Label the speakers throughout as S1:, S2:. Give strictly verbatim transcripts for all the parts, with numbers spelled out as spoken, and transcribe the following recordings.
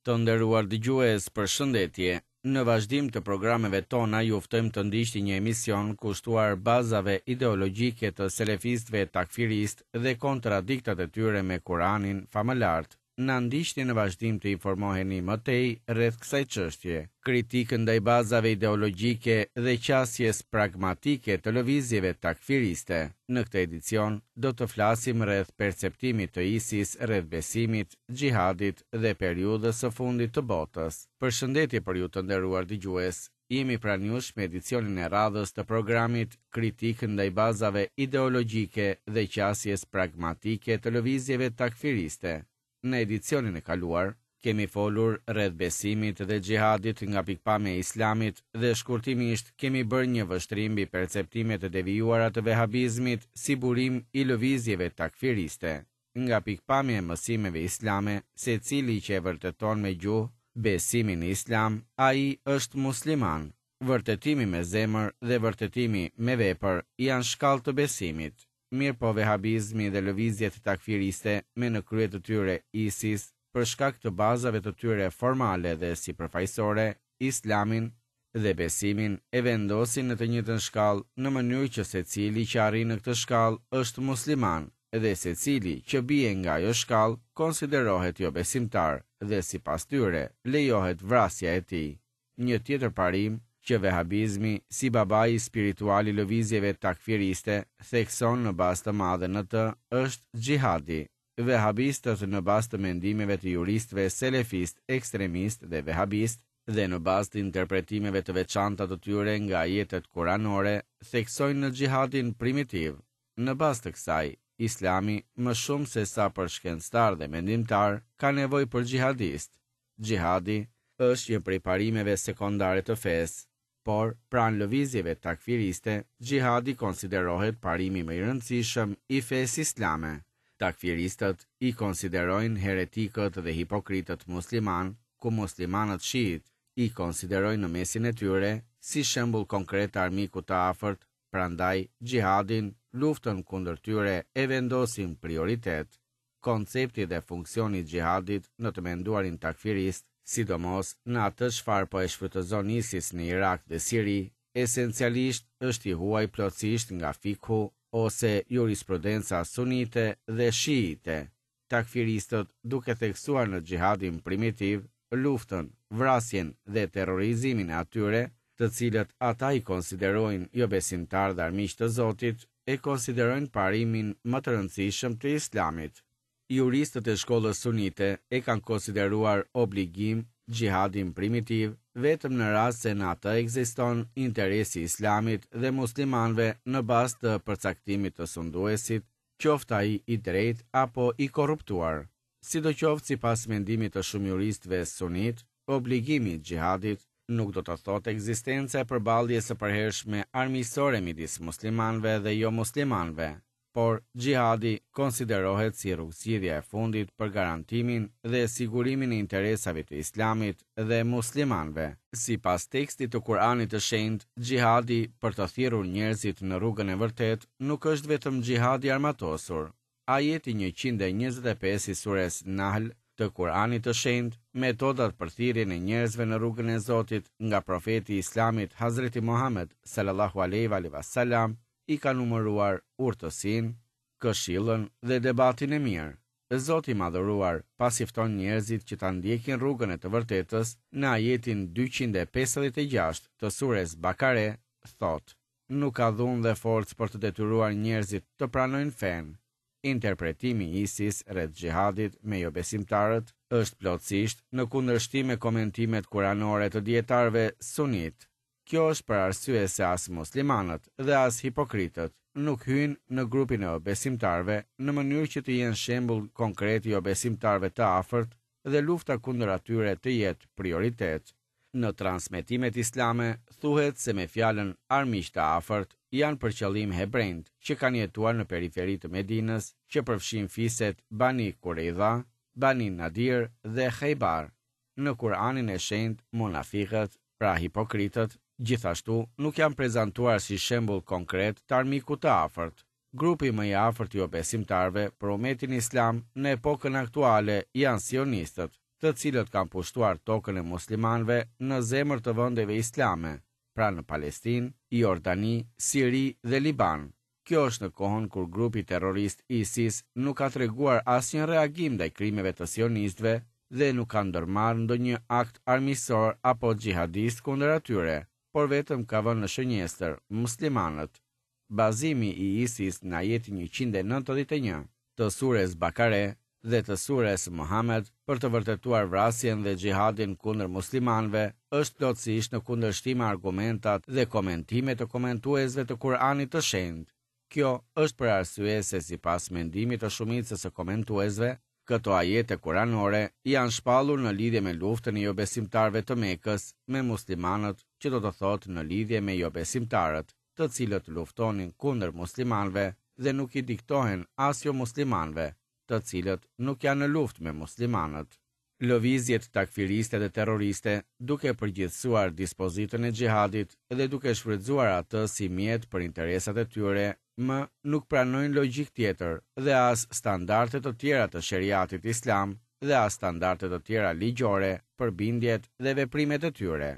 S1: Të nderuar dëgjues, përshëndetje. Në vazhdim të programeve tona ju ftojmë të ndiqni një emision kushtuar bazave ideologjike të selefistëve takfiristë dhe kontradiktat e tyre me Kuranin famëlartë. Na ndiqni në vazhdim të informoheni më tej rreth kësaj çështje. Kritikë ndaj bazave ideologjike dhe qasjes pragmatike të lëvizjeve takfiriste. Në këtë edicion do të flasim rreth perceptimit të ISIS rreth besimit, xhihadit dhe periudhës së fundit të botës. Përshëndetje për ju të nderuar dëgjues. Jemi pranë jush me edicionin e radhës të programit Kritikë ndaj bazave ideologjike dhe qasjes pragmatike të lëvizjeve takfiriste. Në edicionin e kaluar, kemi folur rreth besimit dhe xhihadit nga pikëpamja e Islamit dhe shkurtimisht kemi bërë një vështrim mbi perceptimet e devijuara të vehabizmit si burim i lëvizjeve takfiriste. Nga pikëpamja e mësimeve islame, secili që e vërteton me gjuhë besimin në Islam, ai është musliman. Vërtetimi me zemër dhe vërtetimi me vepër janë shkallë të besimit. Mirë po vehabizmi dhe lëvizjet takfiriste me në krye të tyre ISIS, për shkak të bazave të tyre formale dhe sipërfaqësore, Islamin dhe besimin e vendosin në të njëjtën shkallë në mënyrë që secili që arrin në këtë shkallë është musliman dhe secili që bie nga ajo shkallë konsiderohet jobesimtar dhe sipas tyre lejohet vrasja e tij. Një tjetër parim që vehabizmi si babai spiritual i lëvizjeve takfiriste thekson në bazë të madhe në të është xhihadi. Vehabistët në bazë të mendimeve të juristëve selefist, ekstremist dhe vehabist dhe në bazë të interpretimeve të veçanta të tyre nga ajetet kuranore theksojnë në xhihadin primitiv. Në bazë të kësaj, Islami më shumë se sa për shkencëtar dhe mendimtar ka nevojë për xhihadist. Xhihadi është një prej parimeve sekondare të fesë, por pranë lëvizjeve takfiriste, xhihadi konsiderohet parimi më i rëndësishëm i fesë islame. Takfiristët i konsiderojnë heretikët dhe hipokritët musliman, ku muslimanët shiit i konsiderojnë në mesin e tyre si shembull konkret të armikut të afërt, prandaj xhihadin, luftën kundër tyre e vendosin prioritet. Koncepti dhe funksioni i xhihadit në të menduarin takfirist, sidomos në atë çfarë po e shfrytëzon ISIS në Irak dhe Siri, esencialisht është i huaj plotësisht nga fikhu ose jurisprudenca sunite dhe shiite. Takfiristët, duke theksuar në xhihadin primitiv, luftën, vrasjen dhe terrorizimin e atyre, të cilët ata i konsiderojnë jobesimtar dhe armiq të Zotit, e konsiderojnë parimin më të rëndësishëm të Islamit. Juristët e shkollës sunite e kanë konsideruar obligim xhihadin primitiv vetëm në rast se në atë ekziston interesi i Islamit dhe muslimanëve në bazë të përcaktimit të sunduesit, qoftë ai i drejtë apo i korruptuar. Sidoqoftë, sipas mendimit të shumë juristëve sunit, obligimi i xhihadit nuk do të thotë ekzistenca e përballjes së përhershme armiqësore midis muslimanëve dhe jo muslimanëve, por xhihadi konsiderohet si rrugëzgjidhja e fundit për garantimin dhe sigurimin e interesave të Islamit dhe muslimanëve. Sipas tekstit të Kuranit të Shenjtë, xhihadi për të thirrur njerëzit në rrugën e vërtetë nuk është vetëm xhihadi i armatosur. Ajeti njëqind e njëzet e pesë i sures Nahl të Kuranit të Shenjtë, metodat për thirrjen e njerëzve në rrugën e Zotit nga profeti i Islamit Hazreti Muhammed sallallahu alaihi wa sallam i ka numëruar urtësinë, këshillën dhe debatin e mirë. Zoti i madhëruar, pasi fton njerëzit që ta ndjekin rrugën e të vërtetës, në ajetin dyqind e pesëdhjetë e gjashtë të sures Bakare, thotë: Nuk ka dhunë dhe forcë për të detyruar njerëzit të pranojnë fenë. Interpretimi i ISIS rreth xhihadit me jobesimtarët është plotësisht në kundërshtim me komentimet kuranore të dietarëve sunit. Kjo është për arsye se as muslimanët dhe as hipokritët nuk hyjnë në grupin e jobesimtarëve në mënyrë që të jenë shembull konkret i jobesimtarëve të afërt dhe lufta kundër atyre të jetë prioritet. Në transmetimet islame thuhet se me fjalën armiq të afërt janë për qëllim hebrejt që kanë jetuar në periferi të Medinës, që përfshin fiset Bani Kureidha, Bani Nadir dhe Khaybar. Në Kur'anin e Shenjtë, munafikët, pra hipokritët, gjithashtu nuk janë prezantuar si shembull konkret të armikut të afërt. Grupi më i afërt i jobesimtarëve për umetin islam në epokën aktuale janë sionistët, të cilët kanë pushtuar tokën e muslimanëve në zemër të vendeve islame, pra në Palestinë, Jordani, Siri dhe Liban. Kjo është në kohën kur grupi terrorist ISIS nuk ka treguar asnjë reagim ndaj krimeve të sionistëve dhe nuk ka ndërmarrë ndonjë akt armiqësor apo xhihadist kundër atyre, por vetëm ka vënë në shënjestër muslimanët. Bazimi i ISIS në ajetin njëqind e nëntëdhjetë e një të sures Bakare dhe të sures Muhammed për të vërtetuar vrasjen dhe xhihadin kundër muslimanëve është plotësisht në kundërshtim me argumentat dhe komentimet e komentuesve të Kur'anit të Shenjtë. Kjo është për arsye se sipas mendimit të shumicës së komentuesve, këto ajete kuranore janë shpallur në lidhje me luftën e jobesimtarëve të Mekës me muslimanët, që do të thotë në lidhje me jobesimtarët, të cilët luftonin kundër muslimanëve dhe nuk i diktohen as jo muslimanëve, të cilët nuk janë në luftë me muslimanët. Lëvizjet takfiriste dhe terroriste, duke përgjithësuar dispozitën e xhihadit dhe duke shfrytëzuar atë si mjet për interesat e tyre, më nuk pranojnë logjikë tjetër dhe as standarde të tjera të sheriatit islam dhe as standarde të tjera ligjore për bindjet dhe veprimet e tyre.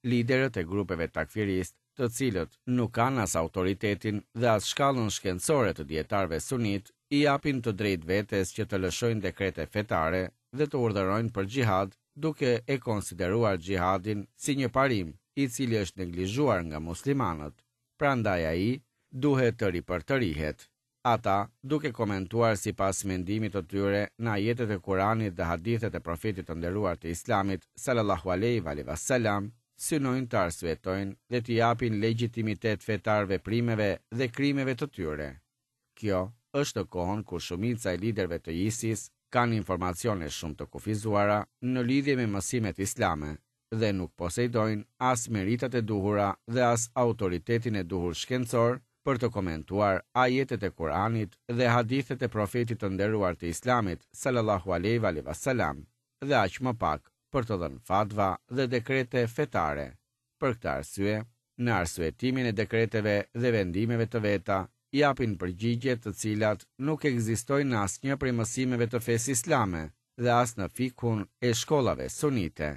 S1: Liderët e grupeve takfiristë, të cilët nuk kanë as autoritetin dhe as shkallën shkencore të dijetarëve sunit, i japin të drejtë vetes që të lëshojnë dekrete fetare dhe të urdhërojnë për xhihad, duke e konsideruar xhihadin si një parim i cili është neglizhuar nga muslimanët. Prandaj ai duhet të ripërtërihet. Ata, duke komentuar sipas mendimit të tyre në ajetet e Kuranit dhe hadithet e profetit të nderuar të Islamit, sallallahu alaihi wa sallam, synojnë të arsyetojnë dhe të japin legjitimitet fetar veprimeve dhe krimeve të tyre. Kjo është në kohën kur shumica e liderëve të ISIS kanë informacione shumë të kufizuara në lidhje me mësimet islame dhe nuk posedojnë as meritat e duhura dhe as autoritetin e duhur shkencor për të komentuar ajetet e Kuranit dhe hadithet e profetit të nderuar të Islamit, sallallahu alaihi wa sallam, dhe aq më pak për të dhënë fatva dhe dekrete fetare. Për këtë arsye, në arsyetimin e dekreteve dhe vendimeve të veta, japin përgjigje të cilat nuk ekzistojnë në asnjë prej mësimeve të fesë islame dhe as në fikhun e shkollave sunite.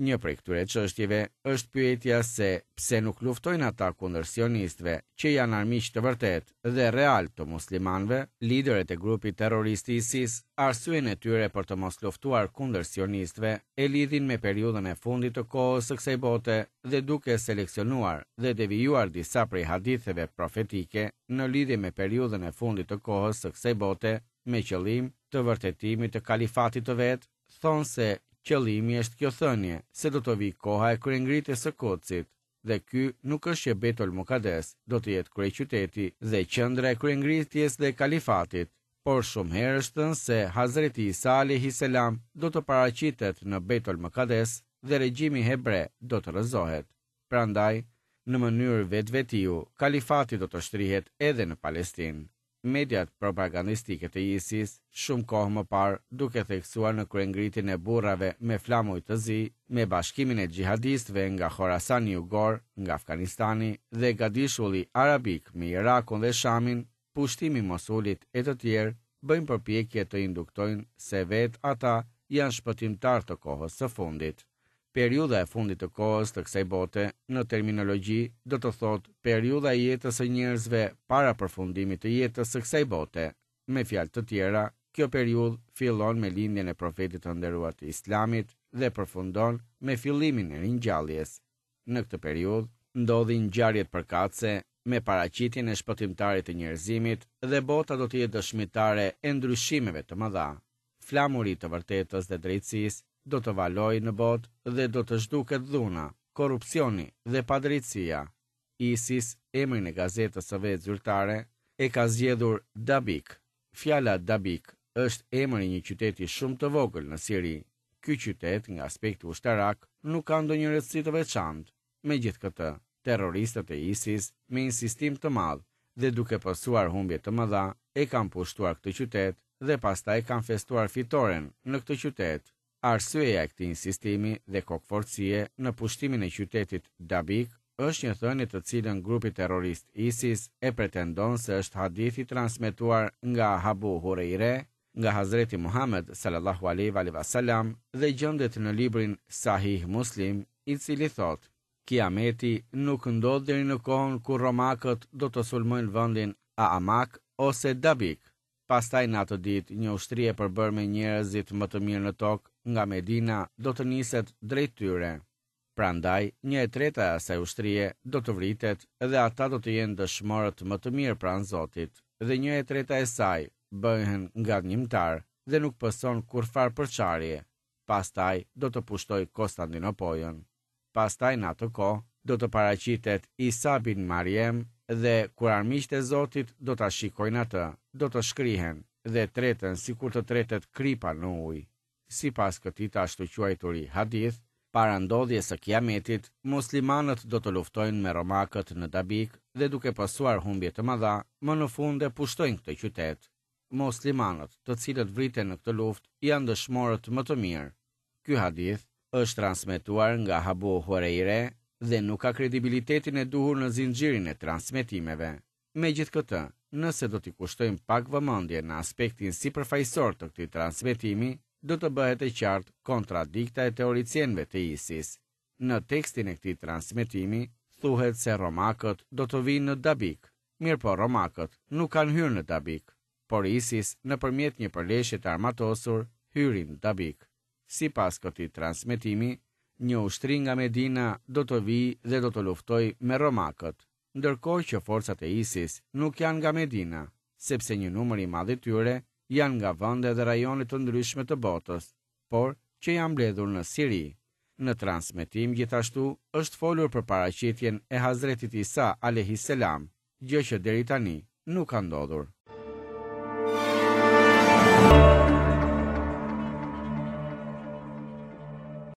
S1: Një prej këtyre çështjeve është pyetja se pse nuk luftojnë ata kundër sionistëve, që janë armiq të vërtetë dhe real të muslimanëve. Liderët e grupit terrorist ISIS, arsyen e tyre për të mos luftuar kundër sionistëve e lidhin me periudhën e fundit të kohës së kësaj bote dhe duke seleksionuar dhe devijuar disa prej haditheve profetike në lidhje me periudhën e fundit të kohës së kësaj bote me qëllim të vërtetimit të kalifatit të vet, thonë se qëllimi është kjo thënie se do të vi koha e kryengritjes së Kudsit, dhe ky nuk është që Beitul Mukades do të jetë kryeqyteti dhe qendra e kryengritjes dhe kalifatit, por shumë herë është thënë se Hazreti Isa alayhi selam do të paraqitet në Beitul Mukades dhe regjimi hebre do të rrëzohet. Prandaj, në mënyrë vetvetiu, kalifati do të shtrihet edhe në Palestinë. Mediat propagandistike të ISIS, shumë kohë më parë, duke theksuar në kryengritjen e burrave me flamuj të zi, me bashkimin e xhihadistëve nga Khorasani jugor, nga Afganistani dhe gadishulli arabik me Irakun dhe Shamin, pushtimi i Mosulit e të tjerë, bëjnë përpjekje të induktojnë se vetë ata janë shpëtimtar të kohës së fundit. Periudha e fundit të kohës të kësaj bote, në terminologji, do të thotë periudha e jetës së njerëzve para përfundimit të jetës së kësaj bote. Me fjalë të tjera, kjo periudhë fillon me lindjen e profetit të nderuar të Islamit dhe përfundon me fillimin e ringjalljes. Në këtë periudhë ndodhin ngjarjet përkatëse me paraqitjen e shpëtimtarit të njerëzimit dhe bota do të jetë dëshmitare e ndryshimeve të mëdha. Flamuri i të vërtetës dhe drejtësisë do të valojë në botë dhe do të zhduket dhuna, korrupsioni dhe padrejtësia. ISIS, emrin e gazetës së vet zyrtare, e ka zgjedhur Dabik. Fjala Dabik është emri i një qyteti shumë të vogël në Siri. Ky qytet, nga aspekti ushtarak, nuk ka ndonjë rëndësi të veçantë. Megjithëkëtë, terroristët e ISIS, me insistim të madh dhe duke pësuar humbje të mëdha, e kanë pushtuar këtë qytet dhe pastaj kanë festuar fitoren në këtë qytet. Arsyeja e këtij insistimi dhe kokforcie në pushtimin e qytetit Dabik është një thënie të cilën grupi terrorist ISIS e pretendon se është hadithi transmetuar nga Abu Hurajre, nga Hazreti Muhammed sallallahu alaihi wa sallam dhe gjendet në librin Sahih Muslim, i cili thotë: Kiameti nuk ndodh deri në kohën kur romakët do të sulmojnë vendin Aamak ose Dabik. Pastaj në atë ditë një ushtri e përbërë me njerëzit më të mirë në tokë nga Medina do të niset drejt tyre. Prandaj, një e treta e asaj ushtrie do të vritet dhe ata do të jenë dëshmorët më të mirë pranë Zotit, dhe një e treta e saj bëhen ngadhnjimtar dhe nuk pëson kurrfar përçarje. Pastaj do të pushtoj Konstantinopojën. Pastaj në atë kohë do të paraqitet Isa bin Mariam dhe kur armiqtë e Zotit do ta shikojnë atë, do të shkrihen dhe treten sikur të tretet kripa në ujë. Sipas këtij të ashtuquajturi hadith, para ndodhjes së Kiametit, muslimanët do të luftojnë me romakët në Dabik dhe duke pësuar humbje të mëdha, më në fund e pushtojnë këtë qytet. Muslimanët, të cilët vriten në këtë luftë, janë dëshmorët më të mirë. Ky hadith është transmetuar nga Abu Hurajre dhe nuk ka kredibilitetin e duhur në zinxhirin e transmetimeve. Megjithëkëtë, nëse do t'i kushtojmë pak vëmendje në aspektin sipërfaqësor të këtij transmetimi, do të bëhet e qartë kontradikta e teoricienëve të ISIS. Në tekstin e këtij transmetimi thuhet se romakët do të vinë në Dabik, mirëpo romakët nuk kanë hyrë në Dabik, por ISIS nëpërmjet një përleshje të armatosur hyri në Dabik. Sipas këtij transmetimi, një ushtri nga Medina do të vijë dhe do të luftojë me romakët, ndërkohë që forcat e ISIS nuk janë nga Medina, sepse një numër i madh i tyre janë nga vende dhe rajone të ndryshme të botës, por që janë mbledhur në Siri. Në transmetim gjithashtu është folur për paraqitjen e Hazretit Isa alayhis salam, gjë që deri tani nuk ka ndodhur.